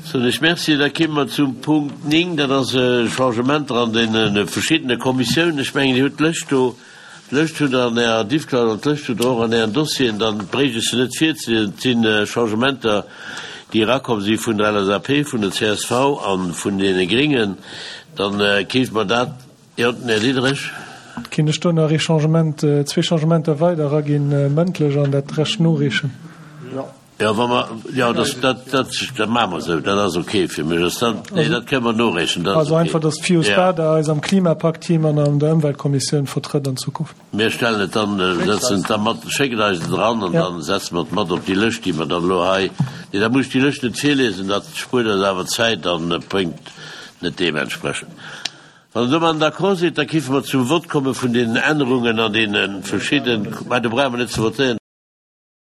Soen ech Merci. Da kéime mer zum Punkt 9, dat ass Changementer an deene verschiddene Kommissiounen. Ech mengen, Dir hutt d'Lëscht do. D'Lëscht hutt Der an Ärer Diffcloud an d'Lëscht hutt Der och an Ären Dossieren. Dann bréicht ech se net virzeliesen. Et si Changementer, déi erakomm si vun der LSAP, vun der csv a vun deene Gringen. Dann kéinte mer dat, jo, den Här Diderich. Kéint ech do nach ee Changement, zwee Changementer weider eraginn, mëndlech, an dat Rescht noreechen? Jo, wa mer, jo, dat, dat, dat, dat maache mer esou, dat ass ok fir mech. Ass dat, nee, dat kënne mer noreechen, dat ass Also ok. einfach, dass d'Fius Ja. Bader eis am Klimapakt-Team an an der Ëmweltkommissioun vertrëtt an Zukunft. Mir stellen et dann, setzen et da mat, schéckt eis et eran an Ja. dann setze mer et mat op déi Lëscht, déi mer dann elo hei, nee, da muss ech déi Lëscht net virlesen, dat spuert eis awer Zäit an bréngt net deementsprechend. Wann Der domadden d'accord sidd, da géife mer zum Vott komme vun deenen Ännerungen an deene verschidden, mä do brauche mer net ze votéieren.